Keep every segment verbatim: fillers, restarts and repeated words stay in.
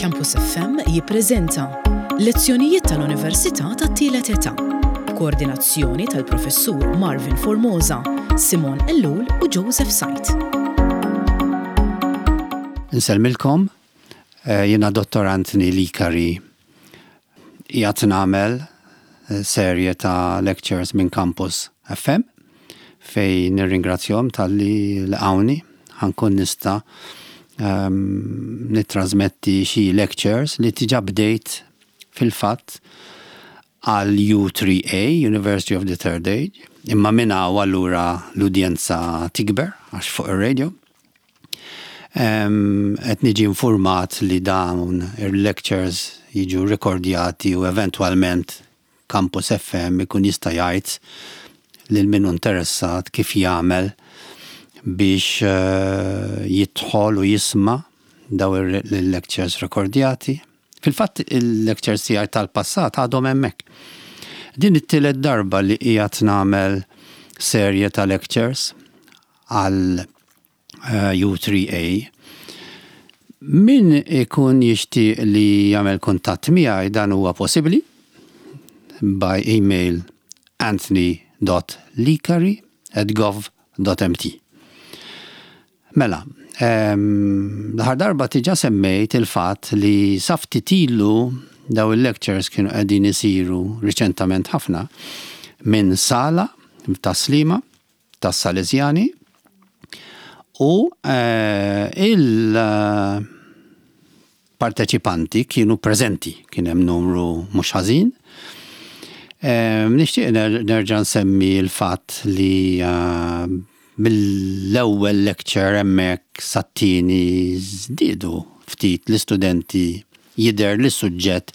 Campus F M jippreżenta lezzjonijiet tal-Università tat-Tielet Età b'koordinazzjoni tal-Professur Marvin Formosa, Simon Ellul u Joseph Sajt. Insellmilkom, eh, jiena Dottor Anthony Licari, qiegħed nagħmel eh, serje ta' lectures minn Campus F M fejn nirringrazzjahom talli laqgħuni ħa nkun nista' um, nittrasmetti xi lectures li diġà bdejt fil-fatt għal U three A, University of the Third Age, imma minna u allura l-udjenza tikber għax fuq ir-radio. Qed niġi informat li dawn il-lectures jiġu rekordjati u eventualment Campus F M ikun jista' jgħid lil min interessat kif jagħmel biex uh, jidħol u jisma' dawn il-lectures rekordjati. Fil-fatt, il-lectures tiegħi tal-passat għadhom hemmhekk. Din it-tielet darba li qiegħed nagħmel serje ta' lectures għal uh, U three A. Min ikun jixtieq li jagħmel kuntatt miegħi, dan huwa possibbli by email anthony dot licari at gov dot M T. Mela, l-aħħar darba diġà semmejt il-fatt li sa ftit ilu dawn il-lectures kienu qegħdin isiru riċentament ħafna minn sala ta' Sliema ta' Salesjani u eh, il-parteċipanti kienu preżenti, kien hemm numru mhux ħażin. Nixtieq nerġa' nsemmi l-fatt li eh, mill-ewwel lecture hemmhekk sat-tieni żdiedu ftit l-istudenti, jidher li suġġett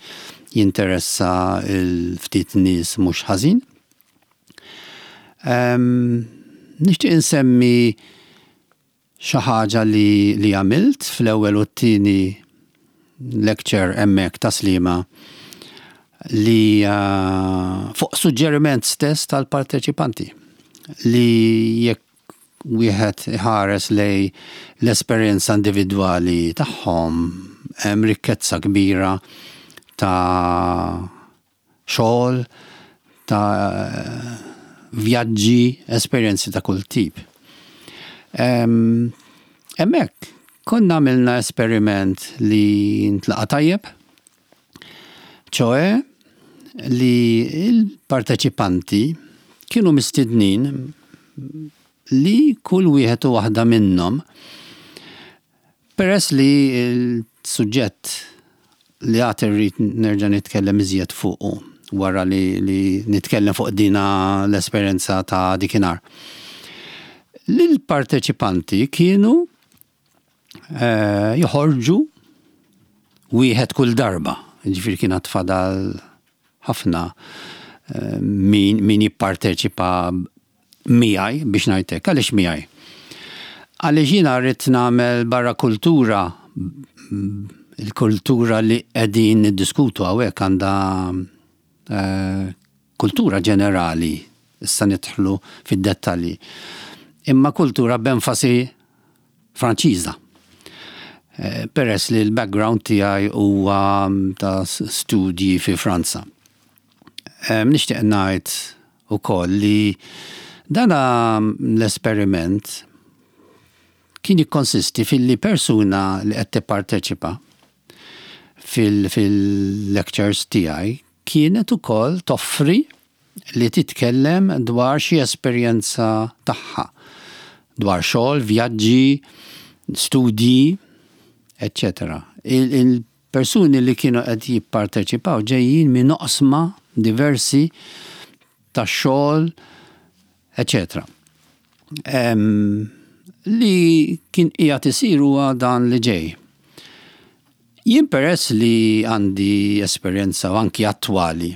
jinteressa l-ftit nies mhux ħażin. Nixtieq insemmi xi ħaġa li, li għamilt fl-ewwel u t-tieni lecture hemmhekk ta' Sliema li uh, fuq suġġeriment stess tal-parteċipanti li jekk wieħed iħares lejn l-esperjenza individwali tagħhom, hemm rikkezza kbira ta' xogħol, ta' vjaġġi, esperjenzi ta' kull tip. Hemmhekk konna għamilna esperiment li ntlaqa tajjeb, ċoè li il-parteċipanti kienu mistednin li kull wieħed u waħda minnhom, peress li l-suġġett li għad irrid nerġa' nitkellem iżjed fuqu wara li, li nitkellem fuq dina l-esperjenza ta' dikinhar. L-parteċipanti kienu eh, joħorġu wieħed kull darba, ġifieri kien fadal ħafna eh, min, min jipparteċipa miegħi, biex ngħidlek. Għaliex miegħi? Għaliex jiena rrid nagħmel barra kultura, il-kultura li qegħdin niddiskutu hawnhekk għandha eh, kultura ġenerali, issa nidħlu fid-dettalji. Imma kultura b'enfasi Franċiża. Eh, peress li l-background tiegħi huwa ta' studji fi Franza. Eh, nixtieq ngħid ukoll li dana l-esperiment kien jikkonsisti fil-li persuna li qed tipparteċipa fil-lectures tiegħi kienet ukoll toffri li titkellem dwar xi esperjenza tagħha, dwar xogħol, vjaġġi, studji, eċċetera. Il-persuni li kienu qed jipparteċipaw ġejjin minn oqsma diversi ta' xogħol, eċċetera. Li kien qiegħed isir huwa dan li ġej. Jien, peress li għandi esperjenza u anki attwali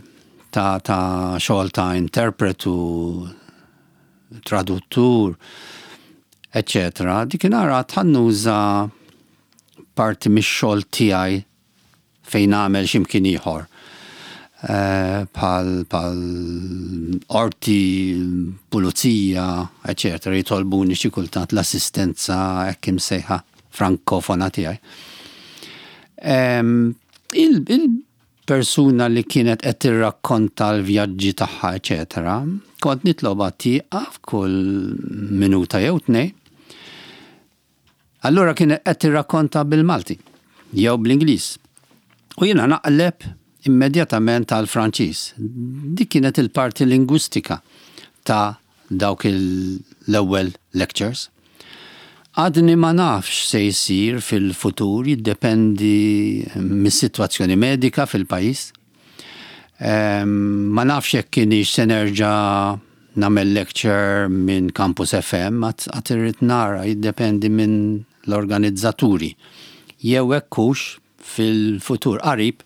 ta', ta' xogħol ta' interpretu, traduttur, eċċetera, dikinhar ħa nuża parti mix-xogħol tiegħi fejn nagħmel x'imkien ieħor. Eh, bħal bħal qorti, pulizija, eċċetera, jitolbuni xi kultant l-assistenza hekk imsejħa frankofona tiegħi. Il-persuna li kienet qed tirrakkonta l-vjaġġi tagħha, eċetera, kont nitlobha tieqaf kull minuta jew tnejn. Allura kienet qed tirrakkonta bil-Malti jew bl-Ingliż. U jiena naqleb immedjatament għal Franċiż. Dik kienet il-parti lingwistika ta' dawk l-ewwel lectures. Għadni ma nafx se jsir fil-futur, jiddependi mis-sitwazzjoni medika fil-pajjiż. Ma nafx jekk kienx se nerġa' nagħmel lecture minn Campus F M, għad irrid nara, jiddependi minn l-organizzaturi. Jew hekk hux fil-futur qarib,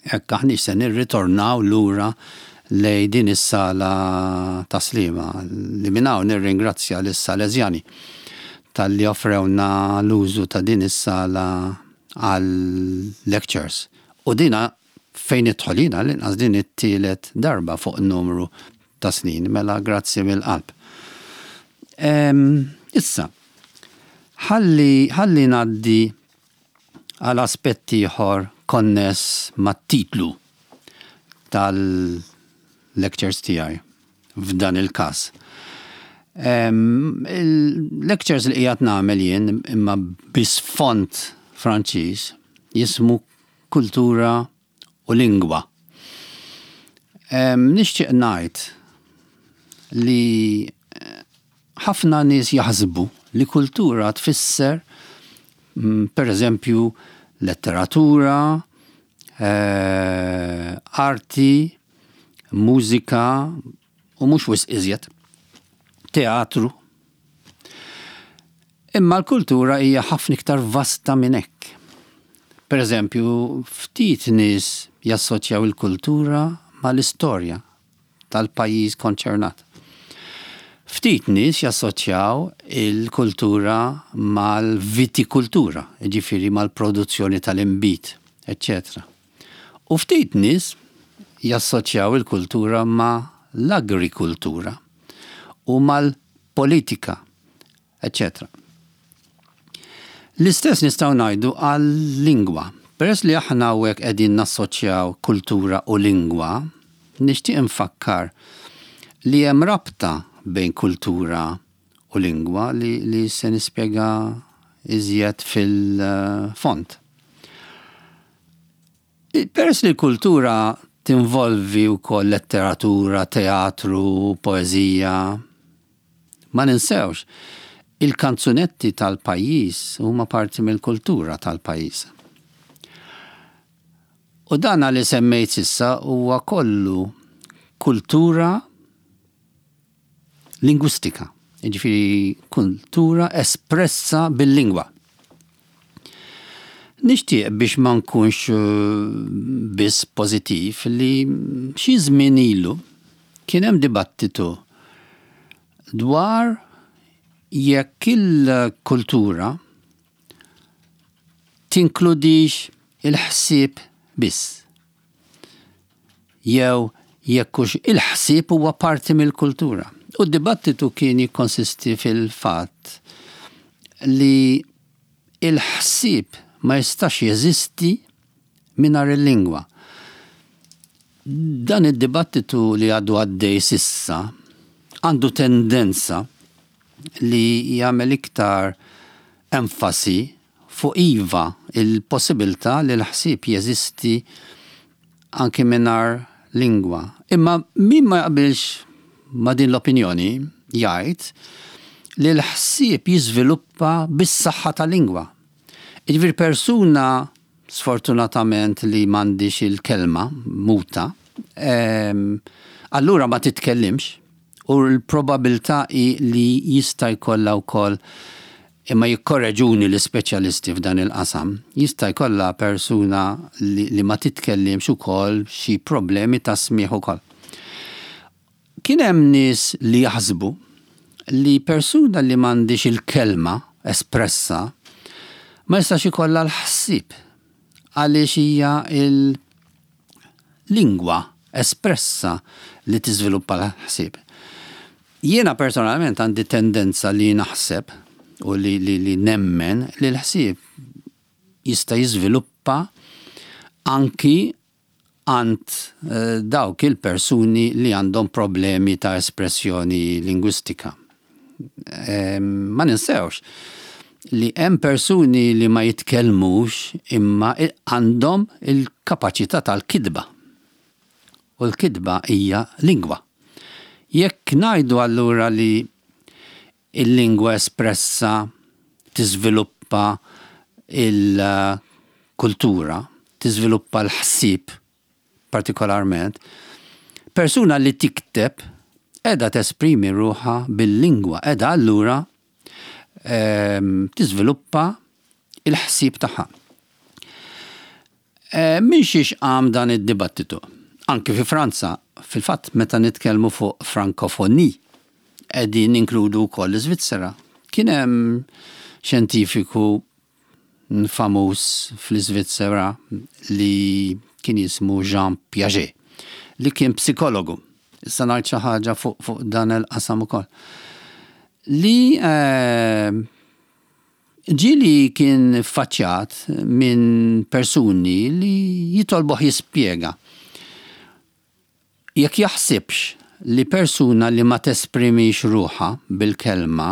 jekk aħniex se nirritornaw lura lejn din is-sala ta' Sliema li minn hawn nirringrazzja lis-Salesjani talli offrewna l-użu ta' din is-sala għal lectures. U dina fejn idħol jiena l-inqas din it-tielet darba fuq numru ta' snin, mela grazzi mill-qalb. Issa, ħalli ħalli ngħaddi għal aspetti ieħor konness mat-titlu tal-lectures tiegħi f'dan il-każ. Il-lectures li qiegħed nagħmel jien imma b'isfond Franċiż jismu Kultura u Lingwa. Nixtieq ngħid li ħafna nies jaħsbu li kultura tfisser, per eżempju, letteratura, arti, mużika u mhux wisq iżjed, teatru. Imma l-kultura hija ħafna iktar vasta minn hekk. Per eżempju, ftit nies jassoċjaw il-kultura mal-istorja tal-pajjiż konċernat. Ftit nies jassoċjaw il-kultura mal-vitikultura, jiġifieri mal-produzzjoni tal-inbid, eċċetera. U ftit nies jassoċjaw il-kultura ma' l-agrikultura u mal-politika, eċċetera. L-istess nistgħu ngħidu għal-lingwa. Peress li aħna hawnhekk qegħdin nassoċjaw kultura u lingwa, nixtieq infakkar li hemm rabta bejn kultura u lingwa li, li se nispjega iżjed fil-fond. Peress li l-kultura tinvolvi wkoll letteratura, teatru, poeżija, ma ninsewx, il-kanzunetti tal-pajjiż huma parti mill-kultura tal-pajjiż. U dan li semmejt s'issa huwa kollu kultura lingwistika, jiġifieri kultura espressa bil-lingwa. Nixtieq, biex ma nkunx biss pożittiv, li xi żmien ilu kien hemm dibattitu dwar jekk il-kultura tinkludix il-ħsieb biss. Jew jekk hux il-ħsieb huwa parti mill-kultura. U d-dibattitu kien jikkonsisti fil-fatt li il-ħsieb ma jistax jeżisti mingħajr il-lingwa. Dan id-dibattitu li għadu għaddej s'issa għandu tendenza li jagħmel iktar enfasi fuq iva, il-possibilità li l-ħsieb jeżisti anki mingħajr lingwa. Imma min ma jaqbilx ma' din l-opinjoni jgħid li l-ħsieb jiżviluppa bis-saħħa tal-lingwa. Jiġifieri persuna sfortunatament li m'għandhiex il-kelma muta, allura ma titkellimx u l-probabilità hi li jista' jkollha wkoll, imma jikkorreġuni l-ispeċjalisti f'dan il-qasam, jista' jkollha persuna li, li ma titkellimx ukoll xi problemi ta' smieħ ukoll. Kien hemm nies li jaħsbu li persuna li m'għandhiex il-kelma espressa ma jistax ikollha l-ħsieb, għaliex hija il-lingwa espressa li tiżviluppa l-ħsieb. Jiena personalment għandi tendenza li naħseb u li, li, li nemmen li l-ħsieb jista' jiżviluppa tiżviluppa anki għand eh, dawk il-persuni li għandhom problemi ta' espressjoni lingwistika. Ma ninsewx li hemm persuni li ma jitkellmux imma għandhom il-kapaċità tal-kitba. U l-kitba hija lingwa. Jekk ngħidu allura li il-lingwa espressa tiżviluppa il-kultura, tiżviluppa l-ħsieb partikolarment, persuna li tikteb edha tesprimi ruħha bil-lingwa, edha allura ehm, tiżviluppa il-ħsieb tagħha. Ehm, Min xiex qam dan id-dibattitu? Anki fi Franza, fil-fatt meta nitkellmu fuq frankofoni, qegħdin inkludu wkoll l-Iżvizzera. Kien hemm xjentifiku famuż fl-Iżvizzera li kien jismu Jean Piaget, li kien psikologu. Issa ngħid xi ħaġa fuq, fuq dan il-qasam ukoll. Li eh, ġieli kien faċċjat minn persuni li jitolbuh jispjega jekk jaħsibx li persuna li ma tesprimix ruħha bil-kelma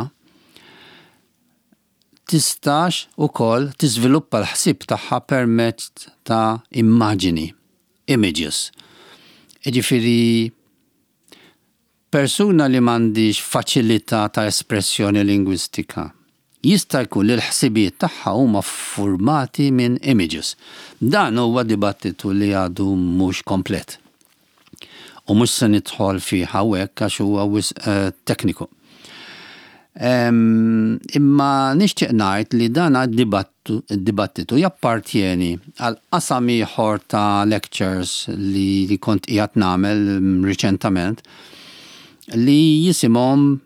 tistax ukoll tiżviluppa l-ħsieb tagħha permezz ta' immaġini, images. Jiġifieri persuna li m'għandix faċilità ta' espressjoni lingwistika jista' jkun li l-ħsibijiet tagħha huma formati minn images. Dan huwa dibattitu li għadu mhux komplet. U mhux se nidħol fih hawnhekk għax huwa wisq eh, tekniku. Imma nixtieq ngħid li dan id-dibattitu jappartjeni għal qasam ieħor ta' lectures li, li kont qiegħed nagħmel riċentament li jisimhom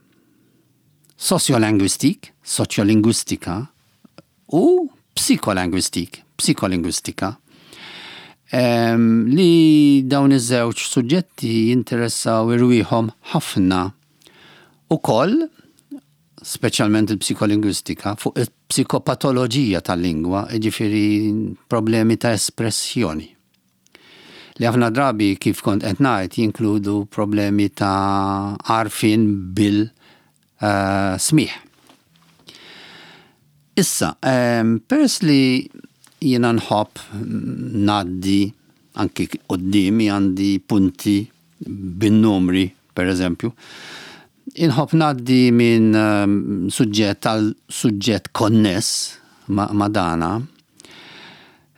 sociolinguistique, soċjolingwistika u psycholinguistique, psikolingwistika. Li dawn iż-żewġ suġġetti jinteressaw irwieħhom ħafna ukoll, speċjalment il-psikolingwistika, fuq il-psikopatoloġija tal-lingwa, jiġifieri problemi ta' espressjoni. Li ħafna drabi, kif kont qed ngħid, jinkludu problemi ta' għarfien bil-smigħ. Issa, peress li jiena nħobb ngħaddi, anki quddiemi għandi punti bin-numri, per eżempju, inħobb ngħaddi minn suġġett għal suġġett konness ma', ma dana.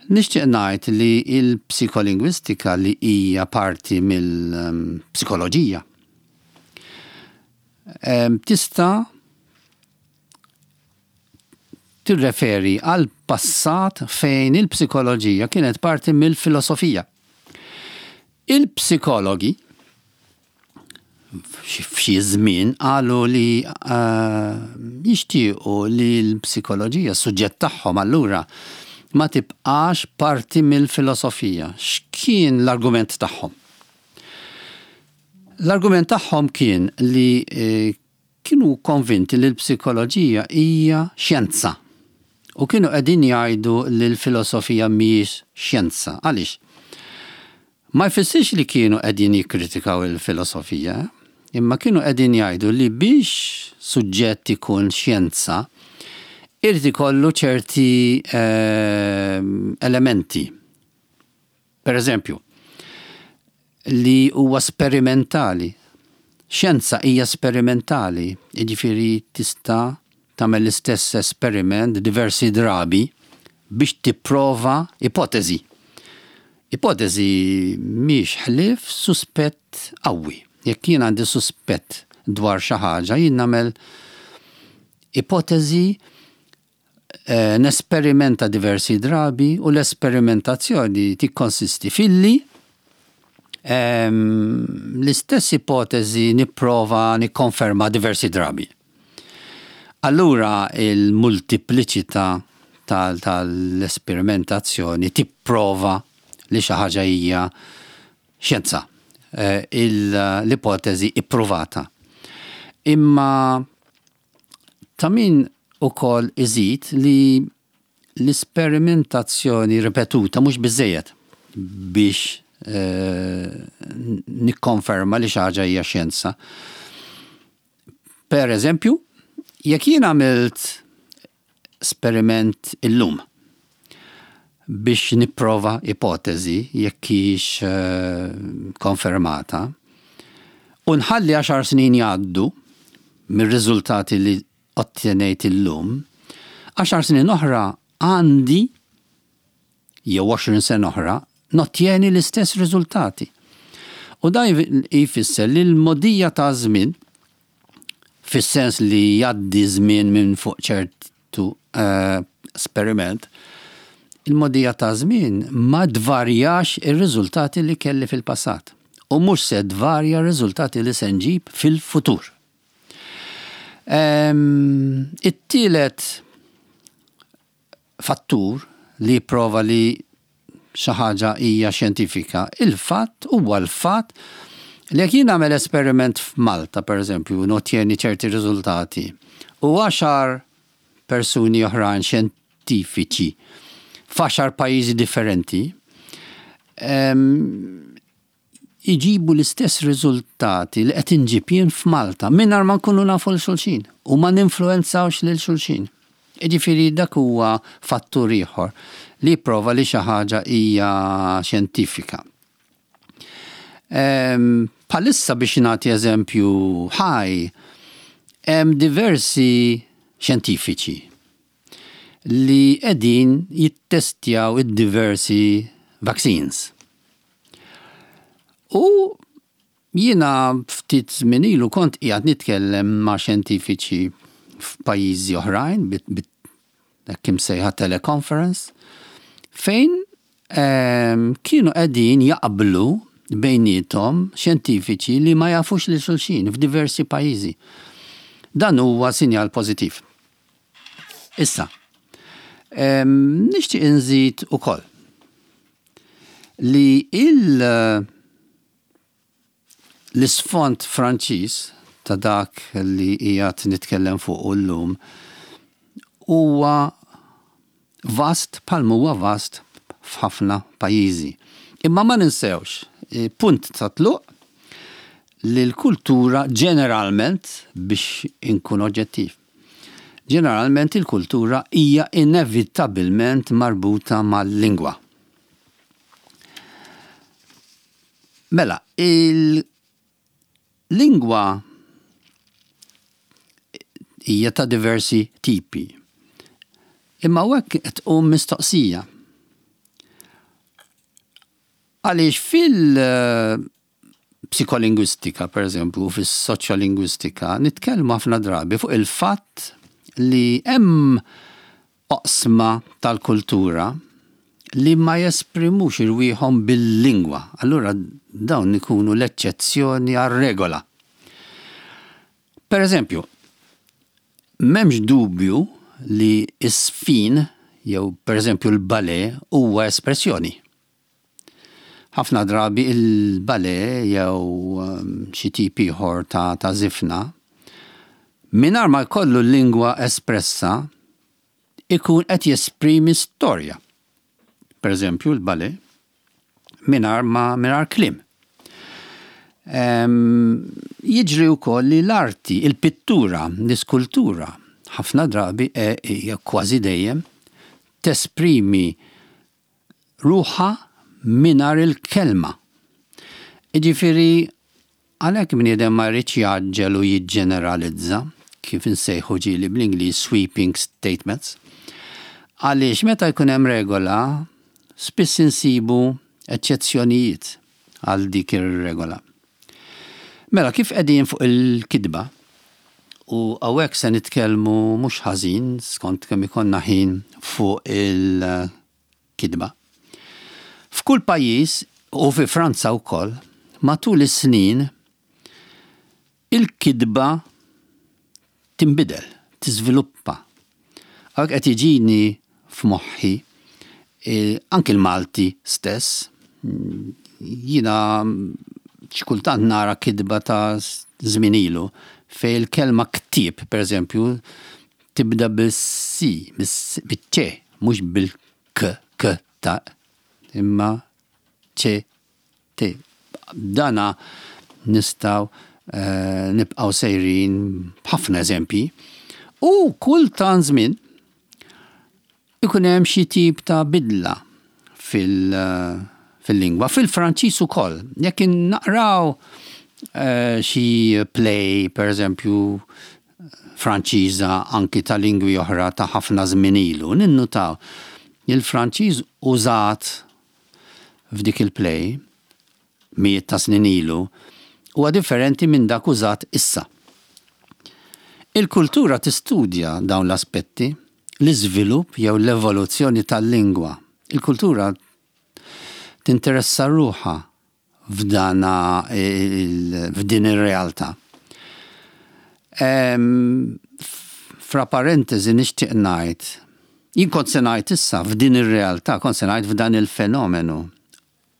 Nixtieq ngħid li il-psikolingwistika, li hija parti mill-psikoloġija, tista' tirreferi għal passat fejn il-psikoloġija kienet parti mill-filosofija. Il-psikologi f'xi żmien qalu li uh, jixtiequ li l-psikoloġija, suġġett tagħhom allura, ma tibqax parti mill-filosofija. X'kien l-argument tagħhom? L-argument tagħhom kien li eh, kienu konvinti li l-psikoloġija hija xjenza. U kienu qegħdin jgħidu li l-filosofija mhijiex xjenza. Għaliex? Ma jfissirx li kienu qegħdin jikkritikaw il-filosofija, imma kienu qegħdin jgħidu li biex suġġett ikun xjenza, irid ikollu ċerti eh, elementi. Per eżempju, li huwa sperimentali. Xjenza hija sperimentali, jiġifieri tista' tagħmel l-istess esperiment diversi drabi biex tipprova ipotezi. Ipotezi mhix ħlief suspett qawwi. Jekk jien għandi suspett dwar xi ħaġa, jien nagħmel ipotezi, eh, nesperimenta diversi drabi u l-esperimentazzjoni tikkonsisti filli ehm, l-istess ipotezi nipprova nikkonferma diversi drabi. Allura il-multipliċità tal-esperimentazzjoni tipprova li xi ħaġa hija xjenza, eh, l-ipotezi ippruvata. Imma ta' min ukoll iżid li L-isperimentazzjoni ripetuta mhux biżejjed biex eh, nikkonferma li xi ħaġa hija xjenza. Per eżempju, jekk jien għamilt esperiment illum biex nipprova ipotezi jekk hix eh, konfermata, u nħalli għaxar snin jgħaddu mir-riżultati li ottenejt illum, għaxar snin oħra għandi jew għoxrin sena oħra nottjeni l-istess riżultati. U da jfisser li l-mogħdija ta' żmien, fis-sens li jgħaddi żmien minn fuq ċertu uh, esperiment, il-mogħdija ta' żmien ma tvarjax ir-riżultati li kelli fil-passat. U mhux se tvarja r-riżultati li se nġib fil-futur. Um, It-tielet fattur li prova li xi ħaġa hija xjentifika, il-fatt huwa l-fatt li jekk jien nagħmel esperiment f'Malta, per eżempju, nottjeni ċerti riżultati, u għaxar persuni oħrajn xjentifiċi f'għaxar pajjiżi differenti, iġibu l-istess riżultati li qed inġib jien f'Malta mingħajr ma nkunu nafu lil xulxin u ma ninfluwenzawx lil xulxin. Jiġifieri dak huwa fattur ieħor li prova li xi ħaġa hija xjentifika. Bħalissa, biex nagħti eżempju ħaj, hemm diversi xjentifiċi li qegħdin jittestjaw id-diversi vaccines. U jiena ftit żmien ilu kont qiegħed nitkellem ma' xjentifiċi f'pajjiżi oħrajn hekk imsejħa teleconference, fejn ehm, kienu qegħdin jaqblu bejniethom xjentifiċi li ma jafux lil xulxin f'diversi pajjiżi. Dan huwa sinjal pożittiv. Issa, ehm, nixtieq inżid ukoll li il- l-isfond Franċiż ta' dak li qiegħed nitkellem fuq llum huwa vast bħalma huwa vast f'ħafna pajjiżi. Imma ma ninsewx, eh, punt ta' tluq li l-kultura ġeneralment, biex inkun oġġettiv, ġeneralment il-kultura hija inevitabilment marbuta mal-lingwa. Mela, il-lingwa hija ta' diversi tipi. Imma hekk qed tqum mistoqsija. Għaliex fil-psikolingwistika, per eżempju, fis-soċjolingwistika, nitkellmu ħafna drabi fuq il-fatt li hemm oqsma tal-kultura li ma jesprimux irwieħhom bil-lingwa. Allura dawn ikunu l-eċċezzjoni għar-regola. Per eżempju, m'hemmx dubju li s-sfin jew per eżempju l-ballet huwa espressjoni. Ħafna drabi il-ballet jew um, xi tip ieħor ta', ta' żifna mingħajr ma jkollu l-lingwa espressa ikun qed jesprimi storja. Per eżempju l-ballet mingħajr ma mingħajr kliem. Jiġri wkoll li l-arti, il-pittura, l-iskultura, ħafna drabi e, kważi dejjem tesprimi ruħha mingħajr il-kelma. Jiġifieri għalhekk bniedem ma jridx jgħaġġel u jiġġeneralizza, kif insejħu ġieli bl-Ingliż sweeping statements. Għaliex meta jkun hemm regola, spiss insibu eċċezzjonijiet għal dik ir-regola. Mela, kif qegħdin fuq il-kitba, u hawnhekk se nitkellmu mhux ħażin skont kemm ikollna ħin fuq il-kitba. F'kull pajjiż u fi Franza wkoll, matul is-snin il-kitba tinbidel, tiżviluppa. Hawnhekk qed jiġini f'moħħi eh, anki l-Malti stess, jiena xi kultant nara kitba ta' żmien ilu fej il-kelma ktieb, per eżempju, tibda bil-C, bil-C, mhux bil-k, k, ta, imma C, T. Dana nistgħu uh, nibqgħu sejrin b'ħafna eżempji. U kull tant żmien ikun hemm xi tip ta' bidla fil- fil-lingwa, fil-Franċiż ukoll. Jekk naqraw uh, xi play, per eżempju, Franċiża, anki ta' lingwi oħra ta' ħafna żmien ilu, ninnutaw il-Franċiż użat f'dik il-play mijiet ta' snin ilu huwa differenti minn dak użat issa. Il-kultura tistudja dawn l-aspetti, l-iżvilupp jew l-evoluzzjoni tal-lingwa. Il-kultura tinteressa ruħha f'dana f'din ir-realtà. Fra parentesi nixtieq ngħid, jien kont se ngħid issa f'din ir-realtà, kont se ngħid f'dan il-fenomenu.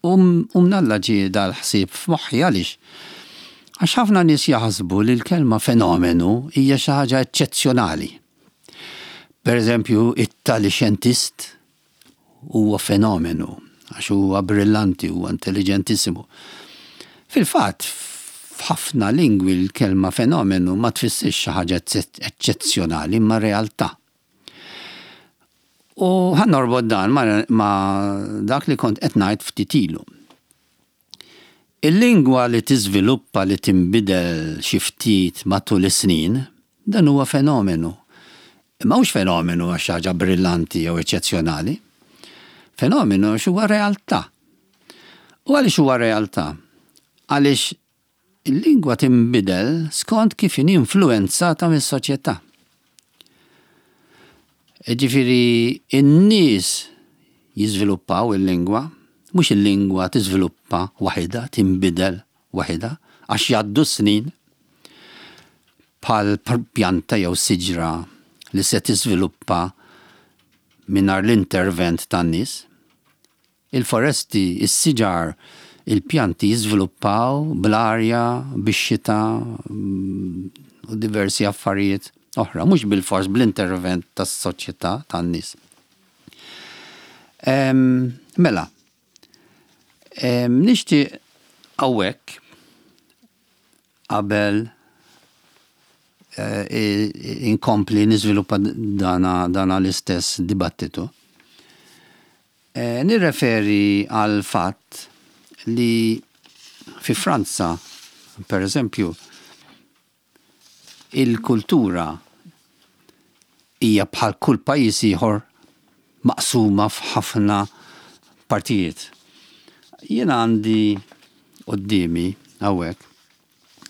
U mnalla ġie dal-ħsieb f'moħħi. Għaliex? Għax ħafna nies jaħsbu li l-kelma fenomenu hija xi ħaġa eċċezzjonali. Per eżempju, it-tali xjentist huwa fenomenu għax huwa brillanti, huwa intelligentissimu. Fil-fatt, f'ħafna lingwi l-kelma fenomenu ma tfissirx xi ħaġa eċċezzjonali, imma realtà. U ħa norbot dan ma, ma dak li kont qed ngħid ftit ilu. Il-lingwa li tiżviluppa, li tinbidel xi ftit matul is-snin, dan huwa fenomenu. Imma mhux fenomenu għax ħaġa brillanti jew eċċezzjonali. Fenomenu għax huwa realtà. U għaliex huwa realtà? Għaliex il-lingwa tinbidel skont kif inhi influenzata mis-soċjetà. Ġifieri, in-nies jiżviluppaw il-lingwa, mhux il-lingwa tiżviluppa waħidha, tinbidel waħidha, għax jgħaddu snin bħal pjanta jew siġra li se tiżviluppa mingħajr l-intervent tan-nies. Il-foresti, is-siġar, il-pjanti jiżviluppaw bl-arja, bix-xita u diversi affarijiet oħra, mhux bil-fors bl-intervent tas-soċjetà tan-nies. Mela, nixtieq hawnhekk qabel inkompli niżviluppa dana, dana l-istess dibattitu. Nirreferi għal fatt li fi Franza, per eżempju, il-kultura hija bħal kull pajjiż ieħor maqsuma f'ħafna partijiet. Jien għandi quddiemi hawnhekk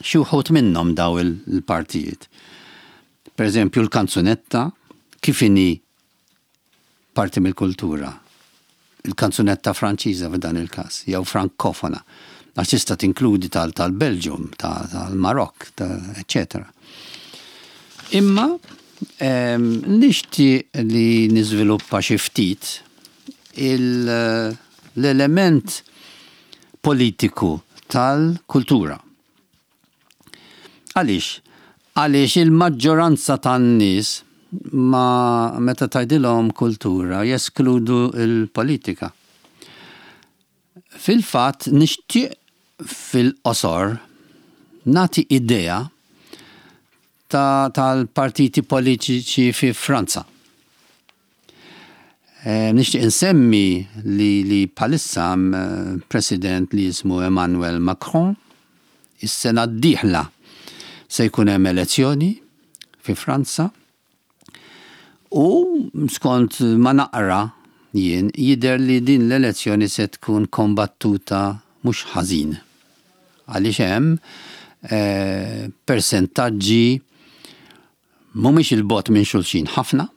xi wħud minnhom daw il-partijiet. Per eżempju, l-kanzunetta kif inhi parti mill-kultura. Il-kanzunetta Franċiża f'dan il-każ, jew frankofona. Għax tista' tinkludi tal-Belġium, tal-Marokk, eċċetera. Imma nixtieq li niżviluppa xi ftit l-element politiku tal-kultura. Għaliex? Għaliex il-maġġoranza tan-nies ma meta tgħidilhom kultura jeskludu il-politika. Fil-fatt, nixtieq fil-qosor nagħti idea ta' tal-partiti politiċi fi Franza. E, nixtieq insemmi li, li bħalissa president li jismu Emmanuel Macron. Is-sena d-dieħla se jkun hemm elezzjoni fi Franza u skont ma naqra jien jidher li din l-elezzjoni se tkun kombattuta mhux ħażin. Għaliex hemm eh, persentaġġi mhumiex 'il bogħod minn xulxin ħafna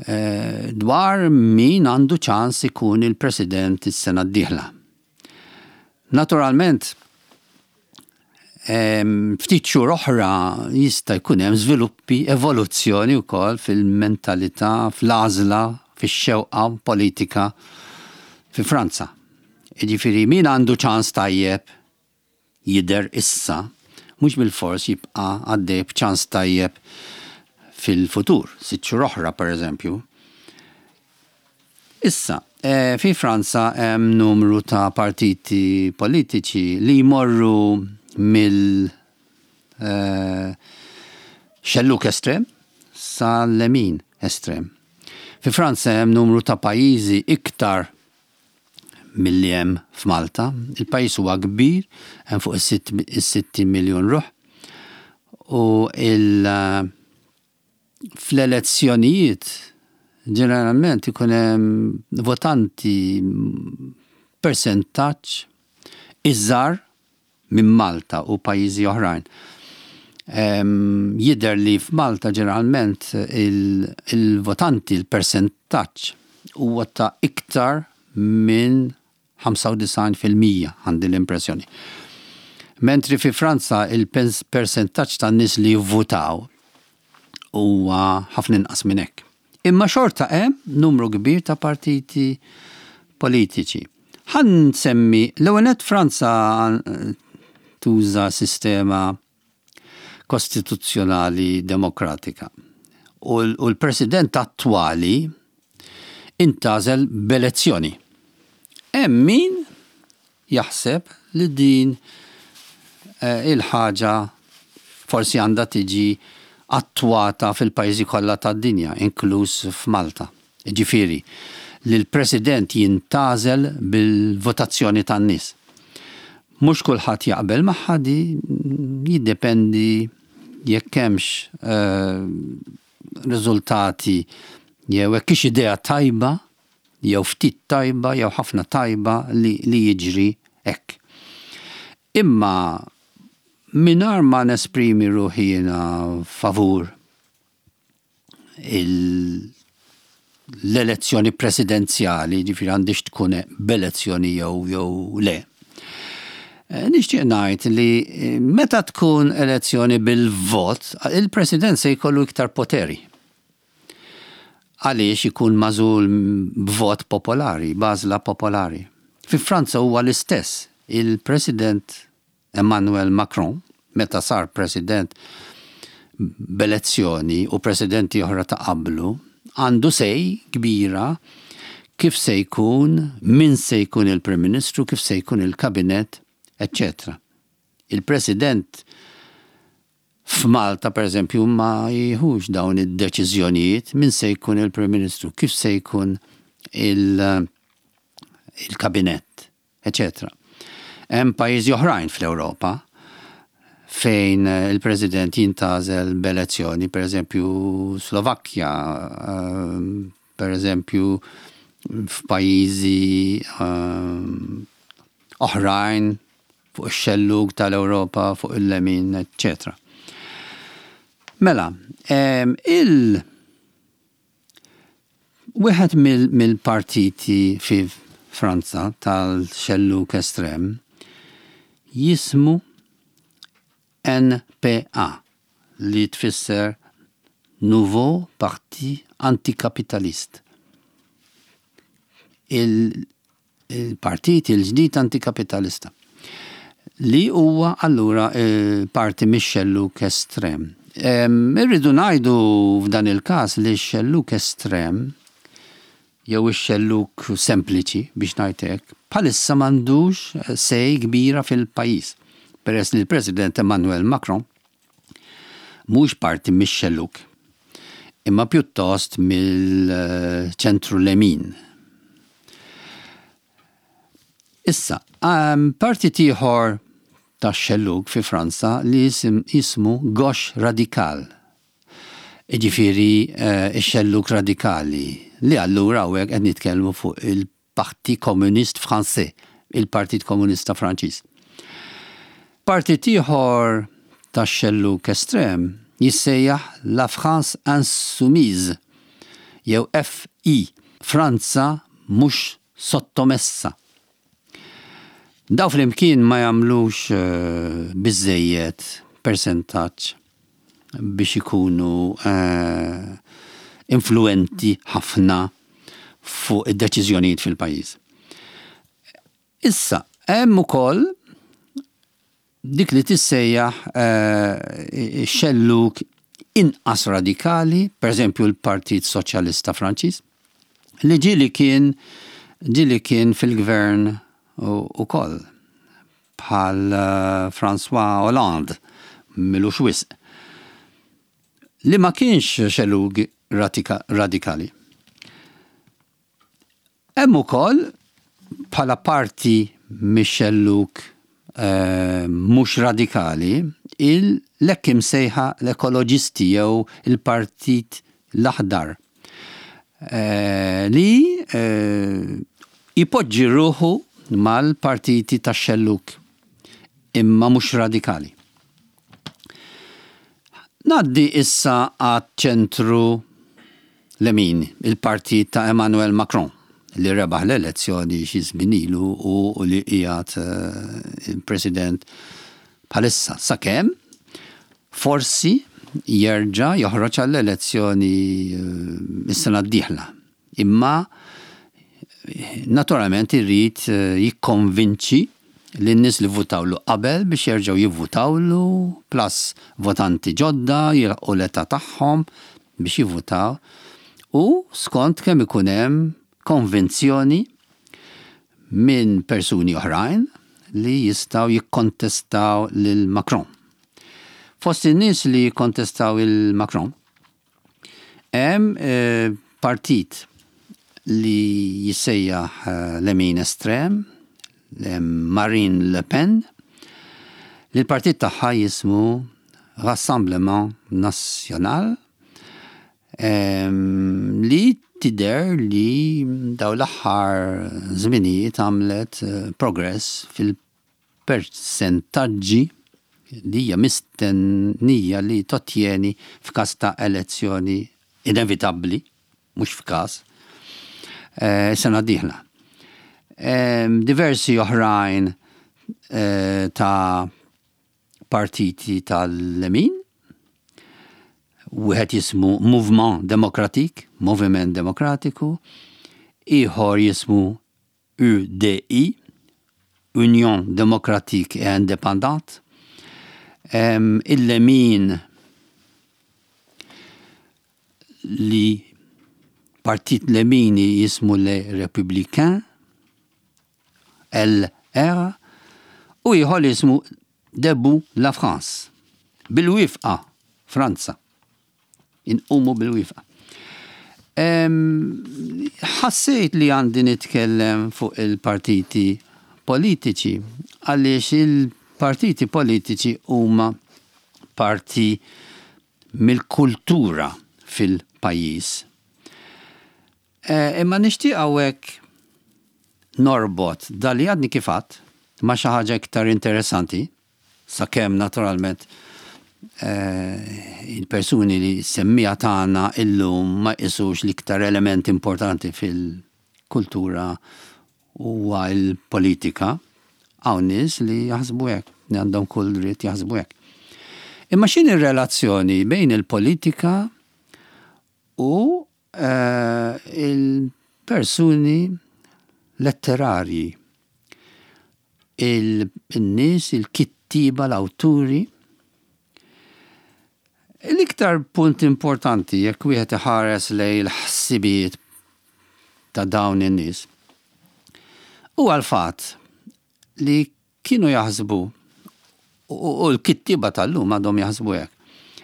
eh, dwar min għandu ċans ikun il-president is-sena d-dieħla. Naturalment, ftit xhur oħra jista' jkun hemm żviluppi, evoluzzjoni wkoll fil-mentalità, fl-għażla, fix-xewqa politika fi Franza. Jiġifieri, min għandu ċans tajjeb jidher issa, mhux bil-fors jibqa' għaddej b'ċans tajjeb fil-futur, sitt xhur oħra, per eżempju. Issa, eh, fi Franza hemm numru ta' partiti politiċi li jmorru mill eh, xelluk estrem sa lemin estrem. Fi Franza hemm numru ta' pajjiżi iktar milli hemm f'Malta. Il-pajjiż huwa kbir, hemm fuq is-sittin miljun ruħ. U il fl-elezzjonijiet ġeneralment ikun hemm votanti persentaġġ iżgħar minn Malta u pajjiżi oħrajn. Jidher li f'Malta ġeneralment il-votanti, il-persentaġġ huwa ta' iktar minn ħamsa u disgħin fil-mija, għandi l-impressjoni. Mentri fi Franza il-persentaġġ ta' nies li jivvutaw huwa ħafna inqas minn hekk. Imma xorta hemm numru kbir ta' partiti politiċi. Ħa nsemmi, l-ewwel Franza tuża sistema kostituzzjonali demokratika. U l-president attwali intgħażel b'elezzjoni. Hemm min jaħseb li din eh, il-ħaġa forsi għandha tiġi attwata fil-pajjiżi kollha tad-dinja, inkluż f'Malta. Ġifieri, li l-president jintgħażel bil-votazzjoni tan-nies. Mhux kulħadd jaqbel magħha di, jiddependi jekk hemmx uh, riżultati jew hekk idea tajba jew ftit tajba jew ħafna tajba li, li jiġri hekk. Imma mingħajr ma nesprimi ruħi jiena favur l-elezzjoni presidenzjali, ġifieri għandix tkun b'elezzjoni jew jew le. Eh, nixtieq ngħid li eh, meta tkun elezzjoni bil-vot, il-president se jkollu iktar poteri. Għaliex ikun magħżul b'vot popolari, b'għażla popolari. Fi Franza huwa l-istess. Il-President Emmanuel Macron, meta sar president b'elezzjoni u presidenti oħra ta' qablu, għandu say kbira kif se jkun, min se jkun il-Prim Ministru, kif se jkun il-kabinet, eccetera. Il-President f'Malta, per eżempju, ma jieħux dawn id-deċiżjonijiet min se jkun il-Prim Ministru, kif se jkun il-kabinet, eccetera. Hemm pajjiżi oħrajn fl-Ewropa fejn il-President jintgħażel b'elezzjoni, per eżempju Slovakkja, ehm, per eżempju f'pajjiżi ehm, oħrajn fuq ix-xellug tal-Ewropa, fuq il-lemin, eccetera. Mela, il wieħed mill-partiti fi Franza tal-xellug estrem jismu N P A, li tfisser Nouveau Parti Anticapitaliste. Il-partit il-ġdid antikapitalista li huwa allura eh, parti mix-xelluk estrem. Irridu ngħidu f'dan il-każ li x-xelluk estrem jew ix-xelluk sempliċi, biex ngħidlek, bħalissa m'għandux say kbira fil-pajjiż. Peress li l-President Emmanuel Macron mhux parti mix-xelluk, imma pjuttost mill-ċentru lemin. Issa, um, partit ieħor ta' xelluk fi Franza li jismu Gauche Radicale. Ġifieri uh, xelluk radikali li allura hawnhekk qed nitkellmu fuq il-Parti Communiste Français, il-Partit Komunista Franċiż. Partit ieħor ta' xelluk estrem jissejjaħ La France Insoumise jew F I, Franza mhux sottomessa. Daw flimkien ma jagħmlux uh, biżejjed persentaġġ biex ikunu uh, influenti ħafna fuq id-deċiżjonijiet fil-pajjiż. Issa, hemm ukoll dik li tissejjaħ uh, xelluk inqas radikali, per eżempju l-Partit Soċjalista Franċiż, Li ġieli kien ġieli kien fil-gvern ukoll bħal eh, François Hollande m'ilux wisq. Li ma kienx xellug radikali. Hemm ukoll bħala parti mix-xellug eh, mhux radikali l-hekk imsejħa l-ekoloġisti jew il-Partit l-Aħdar eh, li eh, jpoġġi ruħu mal-partiti tax-xellug imma mhux radikali. Ngħaddi issa għat-ċentru lemin, il-partit ta' Emmanuel Macron li rebaħ l-elezzjoni xi żmien ilu u li qiegħed eh, il-President bħalissa sakemm forsi jerġa' joħroġ għall-elezzjoni eh, is-sena d-dieħla. Imma naturalment irrid eh, jikkonvinċi lin-nies li votawlu qabel biex jerġgħu jivvutawlu plus votanti ġodda jilħqu l-età tagħhom biex jivvutaw u skont kemm ikun hemm konvinzjoni minn persuni oħrajn li jistgħu jikkontestaw lil Macron. Fost in-nies li jikkontestaw il Macron hemm eh, partit li jissejjaħ eh, lemin estrem, Marine Le Pen, li l-partit tagħha jismu Rassemblement National, li tidher li daw l-aħħar żminijiet għamlet eh, progress fil-persentaġġi li hija mistennija li tottjeni f'każ ta' elezzjoni inevitabbli, mhux f'każ, eh, sena dieħla. Diversi oħrajn eh, ta' partiti tal-lemin, wieħed jismu Mouvement Démocratique, Moviment Demokratiku, ieħor jismu U D I, Union Démocratique et Indépendante, il-lemin li partit lemini jismu Les Républicains, L R, u ieħor jismu Debout la France. Bil-wieqfa, Franza. Inqumu bil-wieqfa. Ħassejt li għandi nitkellem fuq il-partiti politiċi, għaliex il-partiti politiċi huma parti mill-kultura fil-pajjiż. E, imma nixtieq hawnhekk norbot dak li għadni kif għedt ma' xi ħaġa iktar interessanti, sakemm naturalment eh, il-persuni li semmija tagħna illum ma jqisux l-iktar element importanti fil-kultura huwa l-politika, hawn nies li jaħsbu hekk, li għandhom kull dritt jaħsbu hekk. Imma x'inhi r-relazzjoni bejn il-politika u eh, il-persuni letterarji, il-nies, il-kittiba, l-awturi? L-iktar punt importanti jekk wieħed iħares lejn il-ħsibijiet ta' dawn in-nies huwa l-fatt li kienu jaħsbu u l-kittiba tal-lum għadhom jaħsbu hekk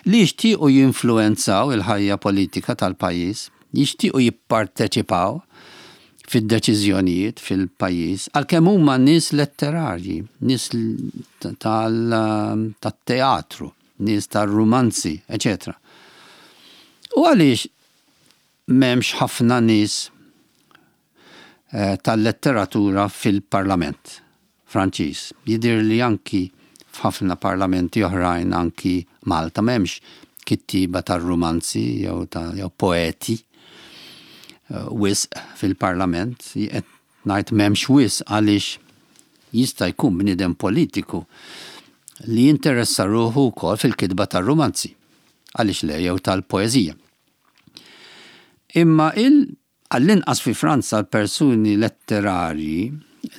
li jixtiequ jinfluenzaw il-ħajja politika tal-pajjiż, jixtiequ jipparteċipaw fid-deċiżjonijiet fil-pajjiż, għalkemm huma nies letterarji, nies tal-teatru, nies tal-rumanzi, eċetera. U għaliex m'hemmx ħafna nies eh, tal-letteratura fil-parlament Franċiż? Jidher li anki f'ħafna parlamenti oħrajn, anki Malta, m'hemmx kittiba tar-rumanzi jew ta' jew poeti eh, wisq fil-parlament. Qed ngħid m'hemmx wisq għaliex jista' jkun bniedem politiku li jinteressa ruħu wkoll fil-kitba tar-rumanzi. Għaliex le, jew tal-poeżija. Imma il għall-inqas fi Franza l-persuni letterarji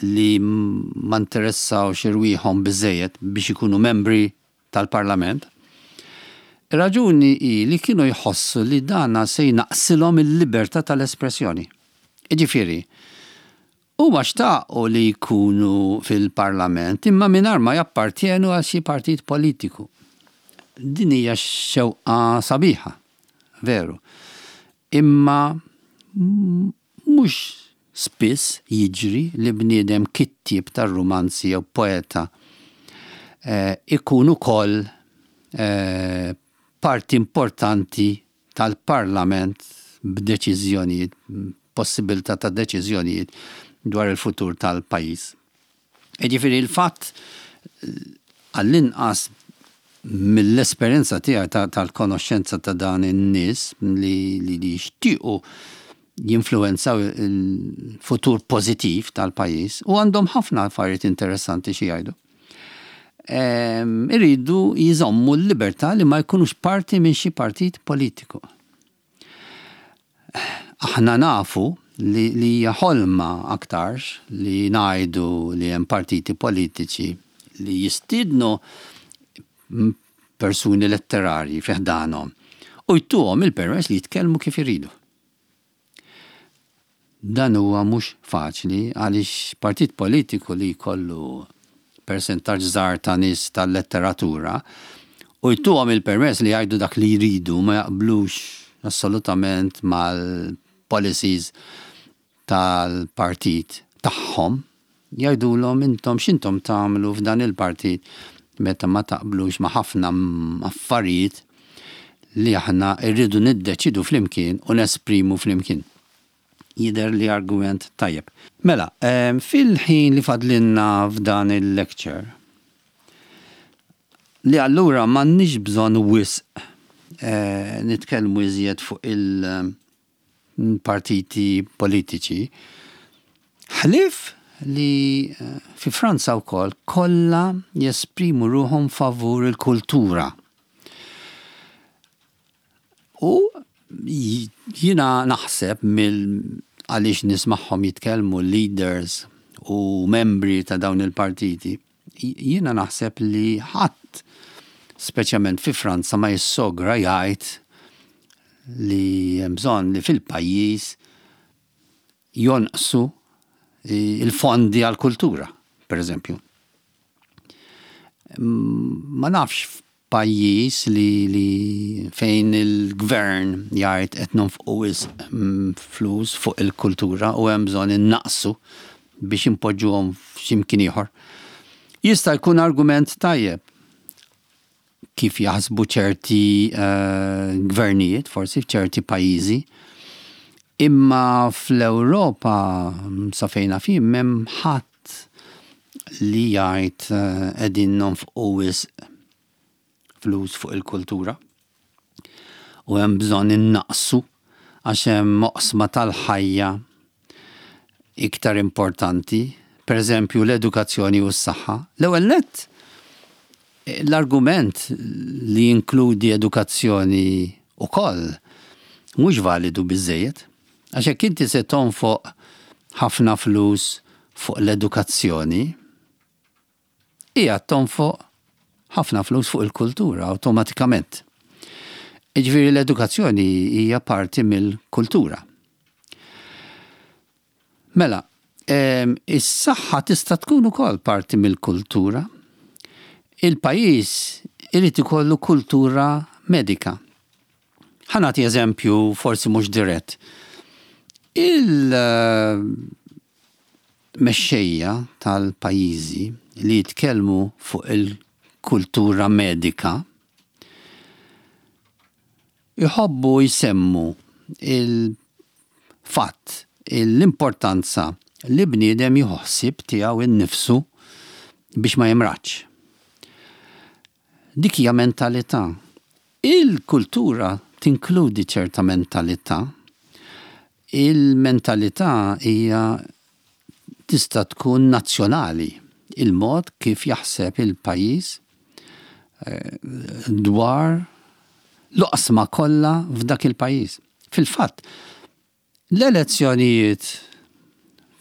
li ma interessawx irwieħhom biżejjed biex ikunu membri tal-parlament, raġuni hi li kienu jħossu li dana se jnaqsilhom il-libertà tal-espressjoni. Jiġifieri, huma xtaqu li jkunu fil-parlament imma mingħajr ma jappartjenu għal xi partit politiku. Din hija xewqa sabiħa, veru. Imma mhux spiss jiġri li bniedem kittieb tar-rumanzi jew poeta eh, ikun ukoll eh, parti importanti tal-parlament b'deċiżjonijiet, possibilità ta' deċiżjonijiet dwar il-futur tal-pajjiż. Jiġifieri il-fatt, għall-inqas mill-esperjenza tiegħi tal-konoxxenza ta' dan in-nies li li jixtiequ jinfluwenzaw il-futur pożittiv tal-pajjiż u għandhom ħafna affarijiet interessanti xi jgħidu. Iridu jżommu l-libertà li ma jkunux parti minn xi partit politiku. Aħna nafu li li hija ħolma aktarx li ngħidu li hemm partiti politiċi li jistiednu persuni letterarji fi ħdanhom u jtuhom il-permess li jitkellmu kif iridu. Dan huwa mhux faċli għaliex partit politiku li jkollu persentaġġ żgħar ta' nies tal-letteratura u jtuhom il-permess li jgħidu dak li jridu, ma jaqblux assolutament mal-policies tal-partit tagħhom, jgħidulhom: "Intom x'intom tagħmlu f'dan il-partit meta ma taqblux ma' ħafna affarijiet li aħna rridu niddeċidu flimkien u nesprimu flimkien?" Jidher li argument tajjeb. Mela, fil-ħin li fadlinna f'dan il-lecture, li allura m'għandniex bżonn wisq eh, nitkellmu iżjed fuq il-partiti politiċi, ħlief li eh, fi Franza wkoll kollha jesprimu ruħhom favur il-kultura. U jina naħseb mill għaliex nismagħhom jitkellmu leaders u membri ta' dawn il-partiti, jiena naħseb li ħadd, speċjalment fi Franza, ma jissogra jgħid li hemm bżonn li fil-pajjiż jonqsu il-fondi għal-kultura, per eżempju. Ma nafx pajjiż li, li fejn il-gvern jgħid qed nonfqu mm, flus fuq il-kultura u hemm bżonn innaqsu biex impoġġuhom f'ximkien ieħor. Jista' jkun argument tajjeb kif jaħsbu ċerti uh, gvernijiet, forsi f'ċerti pajjiżi, imma fl-Ewropa sa fejn naf jien m'hemm ħadd li jgħid uh, qegħdin nonfqu wisq flus fuq il-kultura u hemm bżonn innaqsu għax hemm oqsma tal-ħajja iktar importanti, per eżempju l-edukazzjoni u s-saħħa. L-ewwel nett, l-argument li jinkludi edukazzjoni ukoll mhux validu biżejjed. Għax jekk inti se tonfoq ħafna flus fuq l-edukazzjoni, hija tonfoq ħafna flus fuq il-kultura awtomatikament. Jiġifieri l-edukazzjoni hija parti mill-kultura. Mela, is-saħħa tista' tkun ukoll parti mill-kultura. Il-pajjiż irid ikollu kultura medika. Ħa nagħti eżempju forsi mhux dirett. Il-mexxejja tal-pajjiżi li jitkellmu fuq il-kultura medika jħobbu jsemmu il-fatt, l-importanza li bniedem jieħu ħsieb tiegħu innifsu biex ma jimradx. Dik hija mentalità. Il-kultura tinkludi ċerta mentalità. Il-mentalità hija tista' tkun nazzjonali, il-mod kif jaħseb il-pajjiż eh, dwar l-oqsma kollha f'dak il-pajjiż. Fil-fatt, l-elezzjonijiet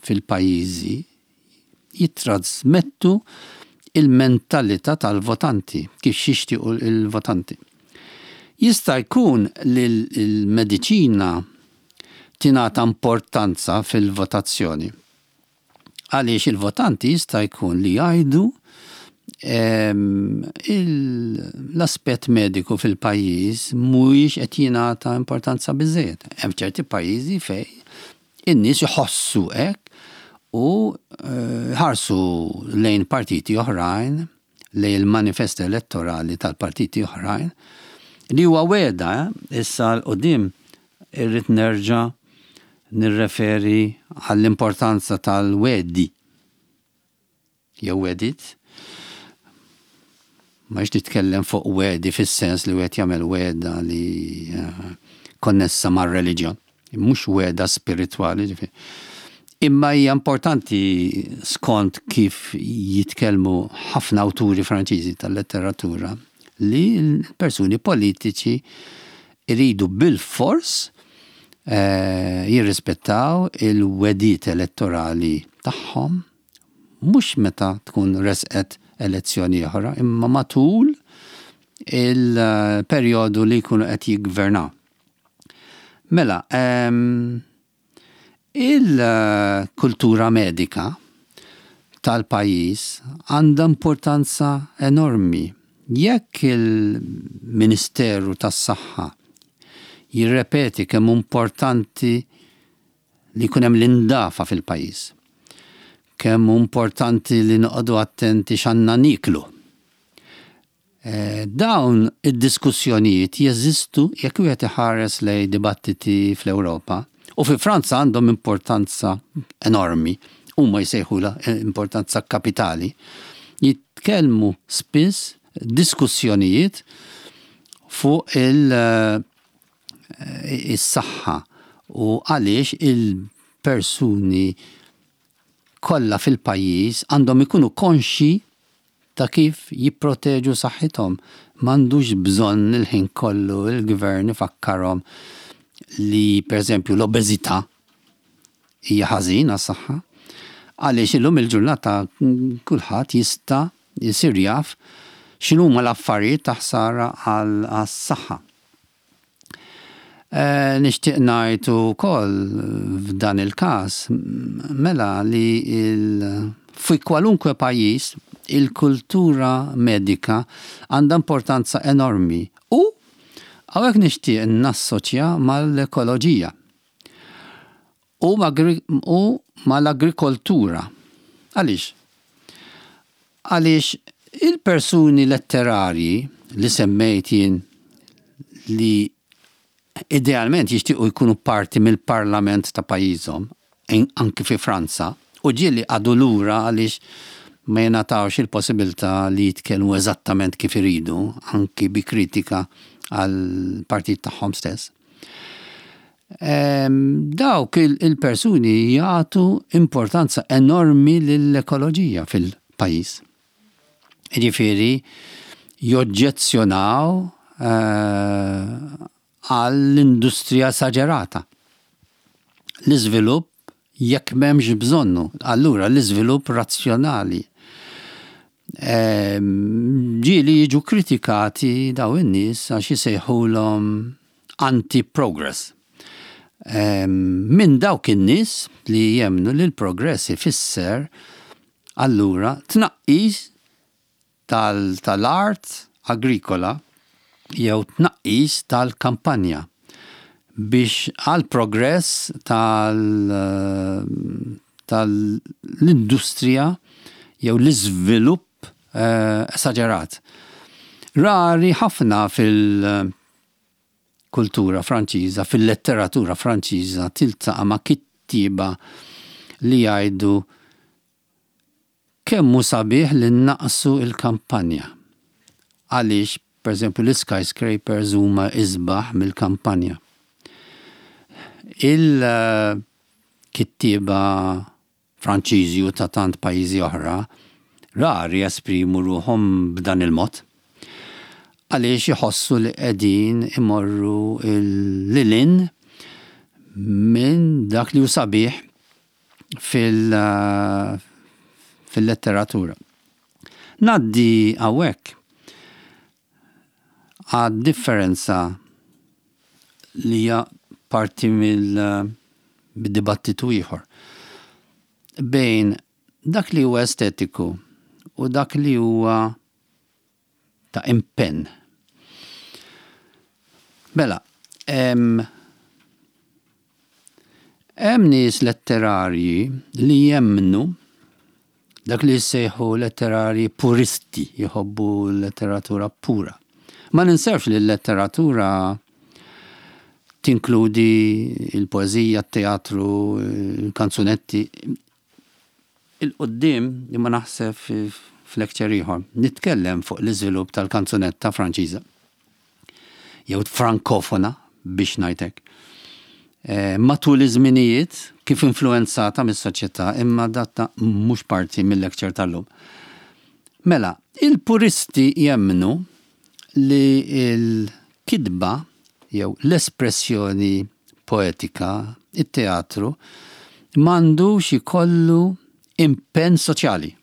fil-pajjiżi jittrasmettu il-mentalità tal-votanti, kif jixtiequ il-votanti. Jista' jkun li l-mediċina tingħata importanza fil-votazzjoni. Għaliex il-votanti jista' jkun li jgħidu l-aspett mediku fil-pajjiż mhuwiex qed jingħata importanza biżejjed. Hemm ċerti pajjiżi fejn in-nies iħossu hekk u eh, ħarsu lejn partiti oħrajn, lejn il-manifest elettorali tal-partiti oħrajn, li huwa wegħda, eh, issa 'l quddiem irrid nerġa' nirreferi għall-importanza tal-wegħdi jew wegħdiet. Ma nitkellem fuq wegħdi fis-sens li wieħed jagħmel wegħda li eh, konnessa mar-reliġjon, mhux wegħda spiritwali, ġifieri. Imma hija importanti, skont kif jitkellmu ħafna awturi Franċiżi tal-letteratura, li l-persuni politiċi iridu bil-fors eh, jirrispettaw il-wegħdiet elettorali tagħhom, mhux meta tkun resqet elezzjoni oħra, imma matul il-perjodu li jkunu qed jiggvernaw. Mela, em, il-kultura medika tal-pajjiż għandha importanza enormi. Jekk il-Ministeru tas-Saħħa jirrepeti kemm importanti li jkun hemm l-indafa fil-pajjiż, kemm importanti li noqogħdu attenti x'għandna niklu. Eh, dawn id-diskussjonijiet jeżistu jekk wieħed iħares lejn dibattiti fl-Ewropa u fi Franza għandhom importanza enormi, huma jsejħula importanza kapitali. Jitkellmu spiss diskussjonijiet fuq il- eh, is-saħħa u għaliex il-persuni kollha fil-pajjiż għandhom ikunu konxi ta' kif jipproteġu saħħithom. M'għandux bżonn il-ħin kollu il-gvern ifakkarhom li, per eżempju, l-obeżità hija ħażin għas-saħħa. Għaliex illum il-ġurnata kulħadd jista' jsir jaf x'inhuma l-affarijiet ta' ħsara għas-saħħa. Eh, nixtieq ngħid ukoll f'dan il-każ mela li il, fi kwalunkwe pajjiż il-kultura medika għandha importanza enormi u hawnhekk nixtieq nassoċja mal-ekoloġija u u mal-agrikoltura. Għaliex? Għaliex il-persuni letterarji li semmejt jien, li idealment jixtiequ jkunu parti mill-parlament ta' pajjiżhom, anki fi Franza, u ġieli qagħdu lura għaliex ma jingħatawx il-possibilità li jitkellmu eżattament kif iridu, anki bi kritika għal partit tagħhom stess. Dawk il-persuni jagħtu importanza enormi lill-ekoloġija fil-pajjiż. Ġifieri joġġezzjonaw eh, għall-industrija esaġerata. L-iżvilupp jekk m'hemmx bżonnu, allura l-iżvilupp razzjonali. Ġieli jiġu kritikati daw in-nies għax jisejħulhom anti-progress. Minn dawk in-nies li jemmnu li l-progress ifisser allura tnaqqis tal-art agrikola jew tnaqqis tal-kampanja biex għal progress tal-industrija jew l-iżvilupp eh, esaġerat. Rari ħafna fil-kultura Franċiża, fil-letteratura Franċiża tiltaqa' ma' kittieba li jgħidu kemm hu sabiħ li naqsu il-kampanja. Għaliex, per eżempju, l-skyscrapers huma isbaħ mill-kampanja. Il-kittieba Franċiżi u ta' tant pajjiżi oħra rari jesprimu ruħhom b'dan il-mod. Għaliex iħossu li qegħdin imorru lil hinn minn dak li hu sabiħ fil- fil-letteratura. Ngħaddi hawnhekk għad differenza li hija parti mill b'dibattitu ieħor bejn dak li huwa estetiku u dak li huwa ta' impenn. Mela, hemm hemm nies letterarji li jemmnu dak li jissejħu letterarji puristi, jħobbu letteratura pura. Ma ninsewx li l-letteratura tinkludi il-poezija, il-teatru, il-kanzunetti. 'Il quddiem, imma naħseb f'lecture ieħor, nitkellem fuq l-iżvilupp tal-kanzunetta Franċiża. Jew frankofona, biex ngħidlek. Eh, matul iż-żminijiet kif influenzata mis-soċjetà, imma dan mhux parti mill-lecture tal-lum. Mela, il-puristi jemmnu li l-kitba jew l-espressjoni poetika, it-teatru, m'għandux ikollu impenn soċjali.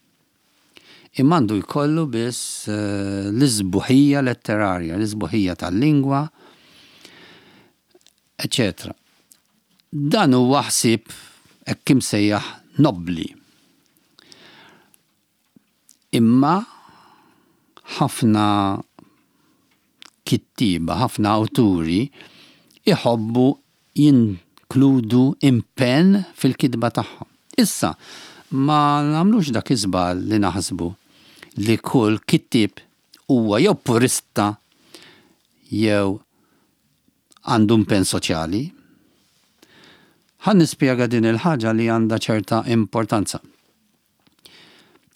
Imma għandu jkollu biss eh, l-isbuħija letterarja, l-isbuħija tal-lingwa, eccetera. Dan huwa ħsieb hekk imsejjaħ nobli. Imma ħafna kittiba, ħafna awturi iħobbu jinkludu impenn fil-kitba tagħhom. Issa, ma nagħmlux dak iż-żball li naħsbu li kull kittib huwa jew purista jew għandu impenn soċjali. Ħa nispjega din il-ħaġa li għandha ċerta importanza.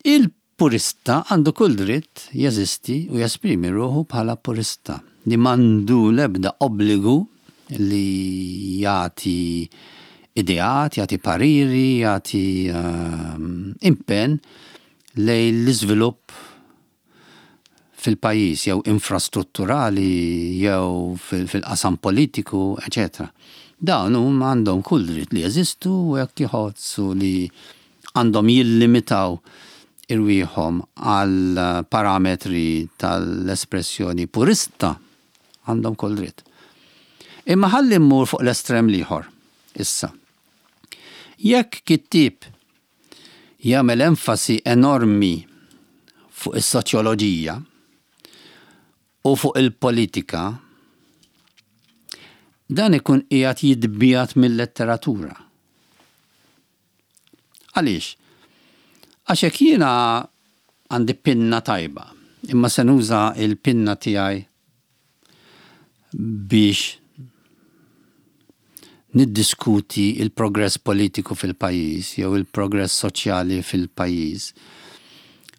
Il-purista għandu kull dritt jeżisti u jesprimi ruħu bħala purista li m'għandu lebda obbligu li jagħti ideat, jagħti pariri, jagħti um, impenn lejn l-iżvilupp fil-pajjiż jew infrastrutturali jew fil-qasam politiku, eċetera. Dawn huma għandhom kull dritt li jeżistu u jekk jħossu li għandhom jillimitaw irwieħhom għal parametri tal-espressjoni purista, għandhom kull dritt. Imma ħalli mmur fuq l-estrem l-ieħor. Issa. Jekk kittib jagħmel enfasi enormi fuq is-soċjoloġija u fuq il-politika, dan ikun qiegħed jitbiegħed mill-letteratura. Għaliex? Għax jekk jiena għandi pinna tajba, imma se nuża il-pinna tiegħi biex niddiskuti il-progress politiku fil-pajjiż jew il-progress soċjali fil-pajjiż.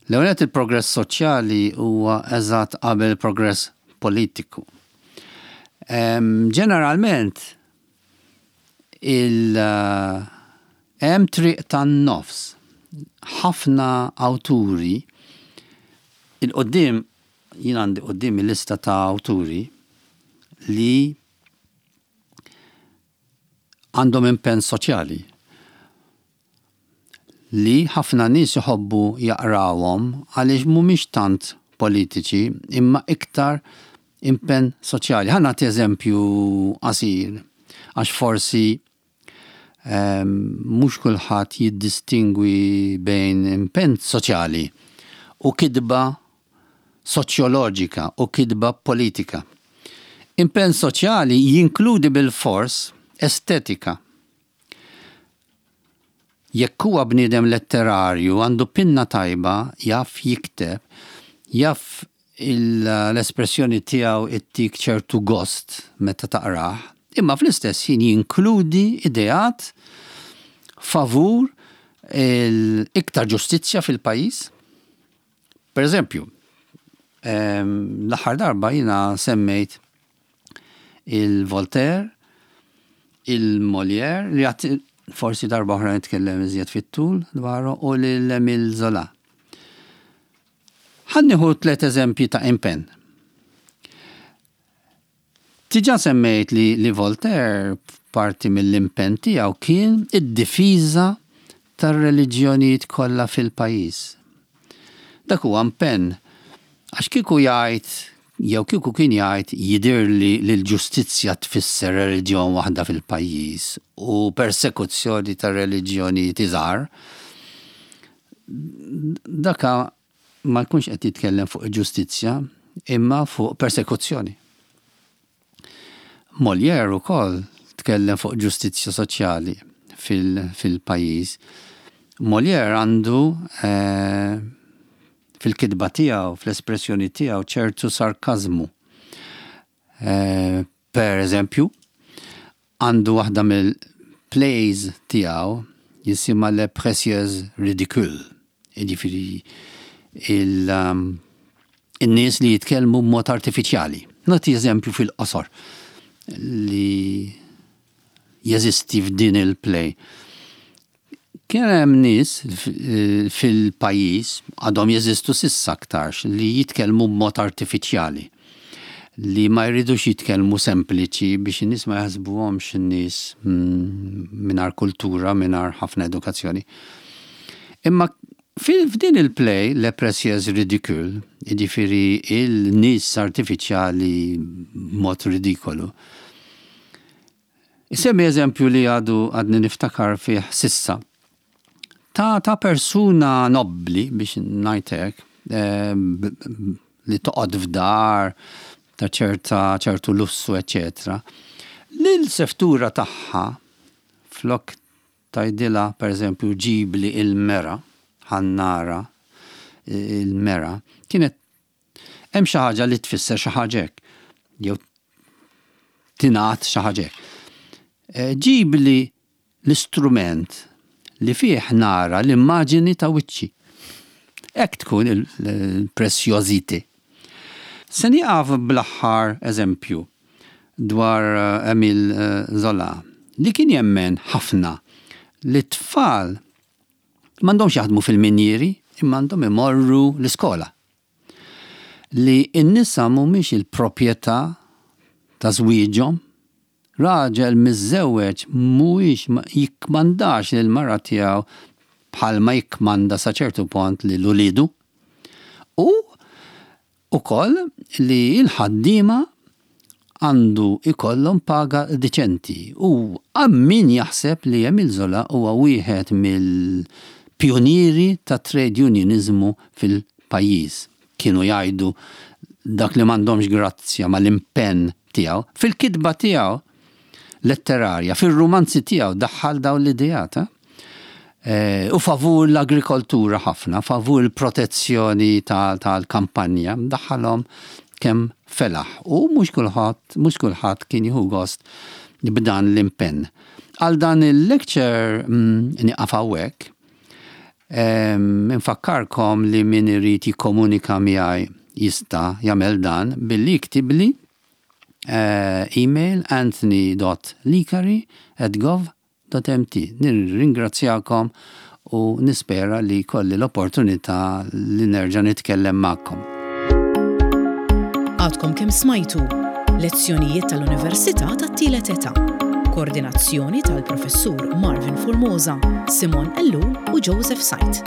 L-ewwel il-progress soċjali huwa eżatt qabel il-progress politiku. Ġeneralment il hemm triq tan-nofs. Ħafna awturi, 'il quddiem jien għandi quddiem il-lista ta' awturi li għandhom impenn soċjali li ħafna nies iħobbu jaqrawhom għaliex mhumiex tant politiċi imma iktar impenn soċjali. Ħa nagħti eżempju qasir għax forsi um, mhux kulħadd jiddistingwi bejn impenn soċjali u kitba soċjoloġika u kitba politika. Impenn soċjali jinkludi bil-fors estetika. Jekk huwa bniedem letterarju, għandu pinna tajba, jaf jikteb, jaf l-espressjoni tiegħu ittik ċertu gost meta taqrah, imma fl-istess ħin jinkludi ideat favur l-iktar ġustizzja fil-pajjiż. Per eżempju, l-aħħar darba jiena semmejt il-Voltaire, il-Molière, li għat forsi darba oħra nitkellem iżjed fit-tul dwaru, u l-Emile Zola. Ħa nieħu tliet eżempji ta' impenn. Diġà semmejt li, li Voltaire parti mill-impenn tiegħu kien id-difiża tar-reliġjonijiet kollha fil-pajjiż. Dak huwa impenn għax kieku jgħid Jew kieku kien jgħid jidir li l-ġustizzja tfisser reliġjon waħda fil-pajjiż u persekuzzjoni ta' reliġjoni iżgħar, daka ma jkunx qed jitkellem fuq ġustizzja imma fuq persekuzzjoni. Molière ukoll tkellem fuq ġustizzja soċjali fil-pajjiż. Molière għandu eh, fil-kitba tiegħu, fl-espressjoni tiegħu ċertu sarkazmu. Eh, per eżempju, għandu waħda mill-plays tiegħu jisimha Les Précieux Ridicules. Jiġifieri il- um, in-nies li jitkellmu b'mod artifiċjali. Nagħti eżempju fil-qosor li jeżisti f'din il-play. Kien hemm nies fil-pajjiż, għadhom jeżistu s'issa aktarx, li jitkellmu b'mod artifiċjali, li ma jridux jitkellmu sempliċi biex in-nies ma jaħsbuhomx in-nies mm, mingħajr kultura, mingħajr ħafna edukazzjoni. Imma f'din il-play, Les Précieux Ridicules, jiġifieri il-nies artifiċjali b'mod ridikolu, Isemmi eżempju li għadu għadni niftakar fih s'issa. Ta', ta' persuna nobli, biex ngħidlek, eh, li toqgħod f'dar, ta' ċerta ċertu lussu, eccetera. Li l-seftura tagħha flok tgħidilha, per eżempju, ġibli il-mera, ħa nara il-mera, kienet hemm xi ħaġa li tfisser xi ħaġa hekk, jew tingħad xi ħaġa hekk. Eh, ġibli l-istrument li fih nara l-immaġini ta' wiċċi. Hekk tkun il-préciosité. Se nieqaf bl-aħħar eżempju dwar eh, Emile eh, Zola, li kien jemmen ħafna li tfal m'għandhomx jaħdmu fil-minjeri, imma għandhom imorru l-iskola. Li n-nisa mhumiex il-proprjetà ta' żwieġhom, raġel miżżewweġ mhuwiex jikkmandax lil mara tiegħu bħalma jikkmanda sa ċertu punt lil uliedu. U ukoll li l-ħaddiema għandu ikollhom paga diċenti. U min jaħseb li Emile Zola huwa wieħed mill-pionieri ta' trade unionizmu fil-pajjiż. Kienu jgħidu dak li m'għandhomx grazzja mal-impenn tiegħu. Fil-kitba tiegħu letterarja, fil-romanzi tiegħu daħħal dawn l-ideat. Eh, u favur l-agrikoltura ħafna, favur il-protezzjoni tal-kampanja, daħħalhom kemm felaħ. U mhux kulħadd, mhux kulħadd kien jieħu gost b'dan l-impenn. Għal dan il-lecture mm, nieqaf hawnhekk, infakkarkom li min irid jikkomunika miegħi jista' jagħmel dan billi jiktibli eh, email anthony dot licari at gov dot M T. Nirringrazzjakom u nispera li jkolli l-opportunità li nerġa' nitkellem magħkom. Għadkom kemm smajtu lezzjonijiet tal-Università tat-Tielet Età. Koordinazzjoni tal-Professur Marvin Formosa, Simon Ellul u Joseph Said.